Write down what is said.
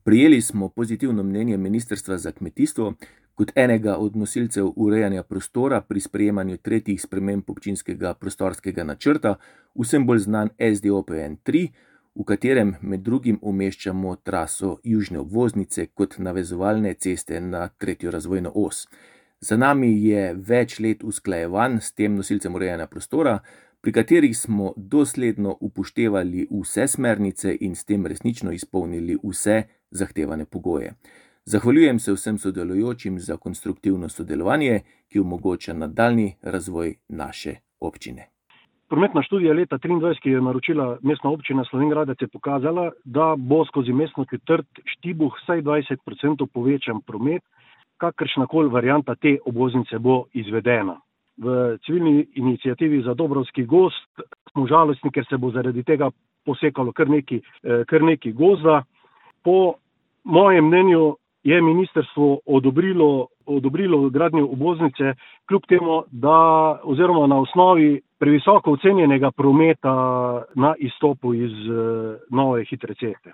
Prejeli smo pozitivno mnenje Ministrstva za kmetijstvo kot enega od nosilcev urejanja prostora pri sprejemanju tretjih sprememb občinskega prostorskega načrta, vsem bolj znan SDOPN 3, v katerem med drugim umeščamo traso južne obvoznice kot navezovalne ceste na tretjo razvojno os. Za nami je več let usklajevanj s tem nosilcem urejanja prostora, pri katerih smo dosledno upoštevali vse smernice in s tem resnično izpolnili vse zahtevane pogoje. Zahvaljujem se vsem sodelujočim za konstruktivno sodelovanje, ki omogoča nadaljnji razvoj naše občine. Prometna študija leta 2023, ki jo je naročila Mestna občina Slovenj Gradec, je pokazala, da bo skozi mestno četrt Štibuh vsaj 20% povečan promet, kakršnakoli varianta te obvoznice bo izvedena. V civilni iniciativi za Dobrovski gozd smo žalostni, ker se bo zaradi tega posekalo kar nekaj gozda. Po mojem mnenju je ministrstvo odobrilo gradnjo obvoznice, kljub temu, oziroma na osnovi previsoko ocenjenega prometa na izstopu iz nove hitre ceste.